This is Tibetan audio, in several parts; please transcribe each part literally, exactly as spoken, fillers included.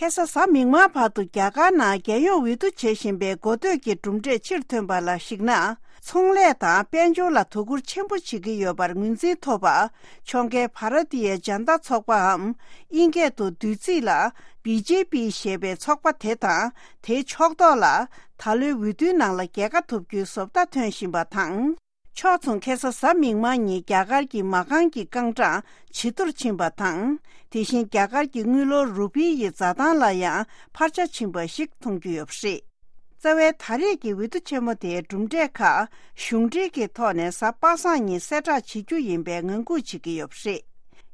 ཁ་སང་གཟའ་མིག་དམར་བར་དུ་རྒྱ་གར་ནང་རྒྱལ་ཡོངས་འོས་བསྡུ་བྱེད་བཞིན་པའི་འགོ་སྟོད་ཀྱི་གྲུབ་འབྲས་ཕྱིར་ཐོན་པ་ལ་གཞིགས་ན། ཚོང་ལས་དང་དཔལ་འབྱོར་ལ་དོ་ཁུར་ཆེན་པོ་བྱེད་ཀྱི་ཡོད་པར་ངོས་འཛིན་ཐོབ་པ། ཕྱོགས་འགལ་བྷ་ར་ཏི་ཡ་ཇན་ཏ་ཚོགས་པའམ་དབྱིན་སྐད་དུ་བསྡུས་ཚིག་ལ་བི་ཇེ་པི་ཞེས་པའི་ཚོགས་པ་དེ་དང་དེའི་ཕྱོགས་གཏོགས་ལ་ད་ལོའི་འོས་བསྡུའི་ནང་ལ་རྒྱལ་ཁ་ཐོབ་རྒྱུའི་བཟོ་ལྟ་ཐོན་བཞིན་པ་དང་། ཕྱོགས་མཚུངས་ཁ་སང་གཟའ་མིག་དམར་ཉིན་རྒྱ་གར་གྱི་མ་རྐང་གི་རྐང་གྲངས་ཇེ་མཐོར་ཕྱིན་པ་དང་། དེ་བཞིན་རྒྱ་གར་གྱི་དངུལ་ལོར་རུ་པི་ཡི་འཛའ་ཐང་ལ་ཡང་འཕར་ཆ་ཕྱིན་པ་ཞིག་མཐོང་རྒྱུ་ཡོད་པ་རེད། རྩ་བའི་ད་རེས་ཀྱི་འོས་བསྡུ་ཆེན་མོ་དེའི་གྲུབ་འབྲས་ཁག་གཞུང་འབྲེལ་གྱི་ཐོག་ནས་གཟའ་པ་སངས་ཉིན་གསལ་བསྒྲགས་བྱེད་རྒྱུ་ཡིན་པའི་ངང་སྒུག་བྱེད་ཀྱི་ཡོད་པ་རེད།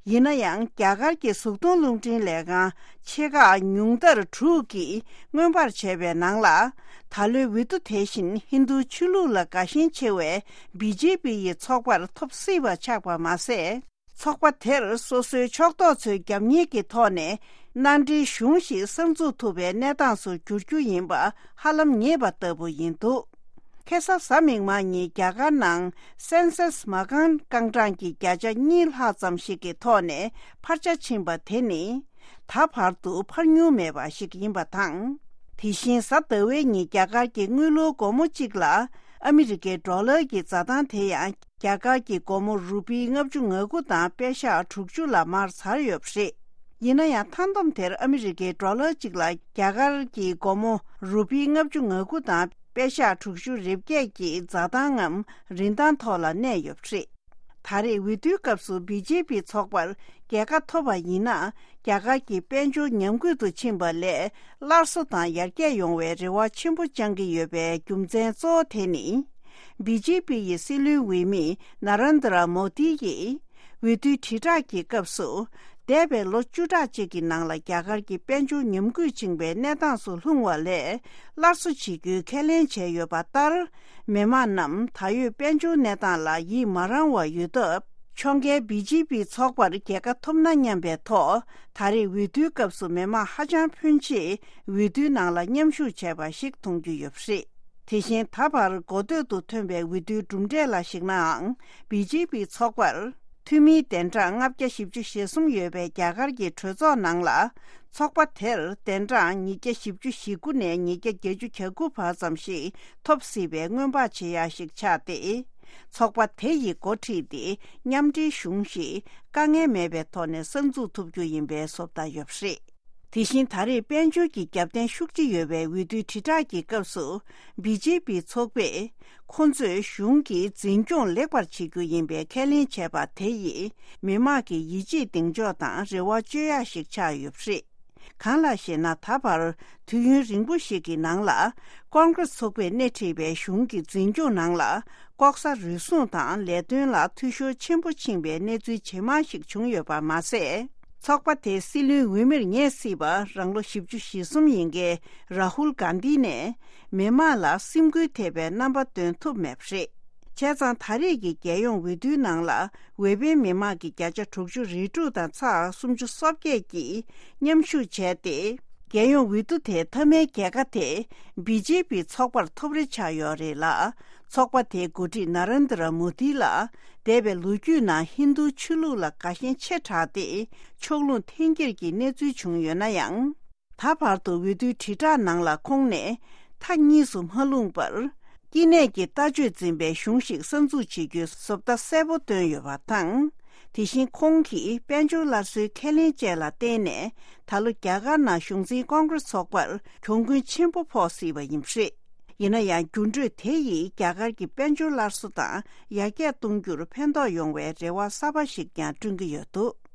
ཡིན་ན་ཡང་རྒྱ་གར་གྱི་གཟུགས་མཐོང་རླུང་འཕྲིན་ལས་ཁང་ཆེ་ཁག་ཉུང་མཐར་དྲུག་གིས་མངོན་པར་བྱས་པའི་ནང་ལ། ད་ལོའི་འོས་བསྡུ་དེ་བཞིན་ཧིན་རྡུ་ཆོས་ལུགས་ལ་དགའ་ཞེན་ཆེ་བའི་བི་ཇེ་པི་ཡི་ཚོགས་པར་ཐོབ་སྲིད་པ་ཆགས་པ་མ་ཟད། ཚོགས་པ་དེར་སོ་སོའི་ཕྱོགས་གཏོགས་ཚོའི་རྒྱབ་གཉེར་གྱི་ཐོག་ནས་མནའ་འབྲེལ་གཞུང་ཞིག་གསར་འཛུགས་ཐུབ་པའི་གནས་སྟངས་སུ་འགྱུར་རྒྱུ་ཡིན་པ་ཧ་ལམ་ངེས་པ་ལྟ་བུ་ཡིན་འདུག་ཁ་སང་གཟའ་མིག་དམར་ཉིན་རྒྱ་གར་ནང་སེན་སེས་མ་རྐང་རྐང་གྲངས་ཀྱི་བརྒྱ་ཆ་གཉིས་ལྷག་ཙམ་ཞིག་གི་ཐོག་ནས་འཕར་ཆ་ཕྱིན་པ་དེ་ནི། ད་བར་དུ་འཕར་མྱོང་མེད་པ་ཞིག་ཡིན་པ་དང་། དེ་བཞིན་གཟའ་ཟླ་བའི་ཉིན་རྒྱ་གར་གྱི་དངུལ་ལོར་སྒོར་མོ་གཅིག་ལ་ཨ་མི་རི་ཀའི་ཌོ་ལར་གྱི་འཛའ་ཐང་དེ་ཡང་རྒྱ་གར་གྱི་སྒོར་མོ་རུ་པི་ལྔ་བཅུ་ང་དགུ་དང་པེ་ཤག་དྲུག་ཅུ་ལ་མར་ཟར་ཡོད་པ་རེད། ཡིན་ན་ཡང་མཐའ་བསྡོམས་དེར་ཨ་མི་རི་ཀའི་ཌོ་ལར་གཅིག་ལ་རྒྱ་གར་གྱི་སྒོར་མོ་རུ་པི་ལྔ་བཅུ་ང་དགུ་དང་པེ་ཤག་དྲུག་ཅུ་རེ་བརྒྱད་ཀྱི་འཛའ་ཐང་ངམ་རིན་ཐང་ཐོག་ལ་གནས་ཡོད་པ་རེད། ད་རེས་འོས་བསྡུའི་སྐབས་སུ་བི་ཇེ་པི་ཚོགས་པར་རྒྱལ་ཁ་ཐོབ་པ་ཡིན་ན། རྒྱ་གར་གྱི་དཔལ་འབྱོར་ཉམས་རྒུད་དུ་ཕྱིན་པ་ལས་སླར་གསོ་དང་ཡར་རྒྱས་ཡོང་བའི་རེ་བ་ཆེན་པོ་བཅང་གི་ཡོད་པའི་རྒྱུ་མཚན་གཙོ་བོ་དེ་ནི། བི་ཇེ་པི་ཡི་སྲིད་བློན་འོས་མི་ན་རན་དྲ་མོ་དི་ཡིས་འོས་བསྡུའི་དྲིལ་བསྒྲགས་ཀྱི་སྐབས་སུ། འདས་པའི་ལོ་བཅུ་ཕྲག་གཅིག་གི་ནང་ལ་རྒྱ་གར་གྱི་དཔལ་འབྱོར་ཉམས་རྒུད་ཕྱིན་པའི་གནས་སྟངས་སུ་ལྷུང་བ་ལས་སླར་གསོ་བྱེད་རྒྱུའི་ཁས་ལེན་བྱས་ཡོད་པ་ལྟར། མི་དམངས་རྣམས་ད་ཡོད་དཔལ་འབྱོར་གནས་སྟངས་ལ་ཡིད་མ་རངས་པ་ཡོད་སྟབས། ཕྱོགས་འགལ་བི་ཇེ་པི་ཚོགས་པར་རྒྱལ་ཁ་ཐོབ་ན་སྙམ་པའི་ཐོག་ད་རེས་འོས་བསྡུའི་སྐབས་སུ་མི་དམངས་ཧ་ཅང་ཕོན་ཆེ་འོས་བསྡུའི་ནང་ལ་མཉམ་ཞུགས་བྱས་པ་ཞིག་མཐོང་རྒྱུ་ཡོད་པ་རེད། དེ་བཞིན་ད་བར་འགོ་སྟོད་དུ་ཐོན་པའི་འོས་བསྡུའི་གྲུབ་འབྲས་ལ་གཞིགས་ནའང་། བི་ཇེ་པི་ཚོགས་པར་འཐུས་མིའི་གདན་གྲངས་ལྔ་བརྒྱ་བཞི་བཅུ་ཞེ་གསུམ་ཡོད་པའི་རྒྱ་གར་གྱི་གྲོས་ཚོགས་ནང་ལ། ཚོགས་པ་དེར་གདན་གྲངས་ཉིས་བརྒྱ་བཞི་བཅུ་ཞེ་དགུ་ནས་ཉིས་བརྒྱ་བརྒྱད་ཅུ་གྱ་དགུ་བར་ཙམ་ཞིག་ཐོབ་སྲིད་པའི་སྔོན་དཔག་བྱེད་ཡ་ཞིག་ཆགས་ཏེ། ཚོགས་པ་དེ་ཡིས་འགོ་ཁྲིད་དེ་མཉམ་འབྲེལ་གཞུང་ཞིག་དཀའ་ངལ་མེད་པའི་ཐོག་ནས་གསར་འཛུགས་ཐུབ་རྒྱུ་ཡིན་པའི་བཟོ་ལྟ་ཡོད་པ་རེད། དེ་བཞིན་ད་རེས་དཔལ་འབྱོར་གྱི་རྒྱབ་རྟེན་ཤུགས་ཆེ་ཡོད་པའི་འོས་བསྡུའི་དྲིལ་བསྒྲགས་ཀྱི་སྐབས་སུ། བི་ཇེ་པི་ཚོགས་པས་ཁོ་ཚོས་གཞུང་གི་འཛིན་སྐྱོང་ལེགས་པར་བྱེད་རྒྱུ་ཡིན་པའི་ཁས་ལེན་བྱས་པ་དེ་ཡིས་མི་དམངས་ཀྱི་ཡིད་ཆེས་གདེང་འཇོག་དང་རེ་བ་བཅོལ་ཡག་ཞིག་ཆགས་ཡོད་པ་རེད། གང་ལགས་ཤེ་ན། ད་བར་དུས་ཡུན་རིང་པོ་ཞིག་གི་ནང་ལ་ཀོང་ཀྲེས་ཚོགས་པས་སྣེ་ཁྲིད་པའི་གཞུང་གི་འཛིན་སྐྱོང་ནང་ལ་ལྐོག་ཟ་རུལ་སུངས་དང་ལས་དོན་ལ་འཐུས་ཤོར་ཆེན་པོ་ཕྱིན་པའི་གནས་ཚུལ་ཇེ་མང་ཞིག་བྱུང་ཡོད་པ་མ་ཟད། ཚོགས་པ་དེའི་སྲིད་བློན་འོས་མིར་ངེས་སྲིད་པ་རང་ལོ་བཞི་བཅུ་ཞེ་གསུམ་ཡིན་མཁན་རཱ་ཧུལ་གྷན་དྷི་ནས་མི་དམངས་ལ་སེམས་འགུལ་ཐེབས་པའི་རྣམ་པ་སྟོན་ཐུབ་མེད་པ་རེད། བྱས་ཙང་ད་རེས་ཀྱི་རྒྱལ་ཡོངས་འོས་བསྡུའི་ནང་ལ་འོས་འཕེན་མི་དམངས་ཀྱི་བརྒྱ་ཆ་དྲུག་ཅུ་རེ་དྲུག་དང་ཚེག་སུམ་ཅུ་སོ་བརྒྱད་ཀྱིས་མཉམ་ཞུགས་བྱས་ཏེ། རྒྱལ་ཡོངས་འོས་བསྡུ་དེའི་མཐའ་མའི་རྒྱལ་ཁ་དེ་བི་ཇེ་པི་ཚོགས་པར་ཐོབ་རེ་ཆགས་ཡོད་རེད་ལ། ཚོགས་པ་དེའི་འགོ་ཁྲིད་ན་རེན་དྲ་མོ་དི་ལ་འདས་པའི་ལོ་རྒྱུས་ནང་ཧིན་རྡུ་ཆོས་ལུགས་ལ་དགའ་ཞེན་ཆེ་དྲགས་ཏེ་ཕྱོགས་ལྷུང་འཐེན་འཁྱེར་གྱི་གནས་ཚུལ་བྱུང་ཡོད་ན་ཡང་། ད་བར་དུ་འོས་བསྡུའི་དྲིལ་བསྒྲགས་ནང་ལ་ཁོང་ནས་མཐའ་གཉིས་སུ་མ་ལྷུང་པར། སྐྱེ་གནས་ཀྱི་ལྟ་སྤྱོད་འཛིན་པའི་གཞུང་ཞིག་གསར་འཛུགས་བྱེད་རྒྱུའི་བཟོ་ལྟ་གསལ་པོ་བཏོན་ཡོད་པ་དང་། དེ་བཞིན་ཁོང་གིས་དཔལ་འབྱོར་སླར་གསོའི་ཁས་ལེན་བཅས་ལ་བརྟེན་ནས་ད་ལོ་རྒྱ་གར་ནང་གཞུང་འཛིན་ཀོང་ཀྲེས་ཚོགས་པར་གྱོང་གུན་ཆེན་པོ་ཕོག་སྲིད་པ་ཡིན་པ་རེད། ཡིན་ན་ཡང་འགྱུར་འགྲོས་དེ་ཡིས་རྒྱ་གར་གྱི་དཔལ་འབྱོར་སླར་གསོ་དང་ཡར་རྒྱས་གཏོང་རྒྱུར་ཕན་ཐོགས་ཡོང་བའི་རེ་བ་གསར་པ་ཞིག་ཀྱང་བསྐྲུན་གྱི་ཡོད་འདུག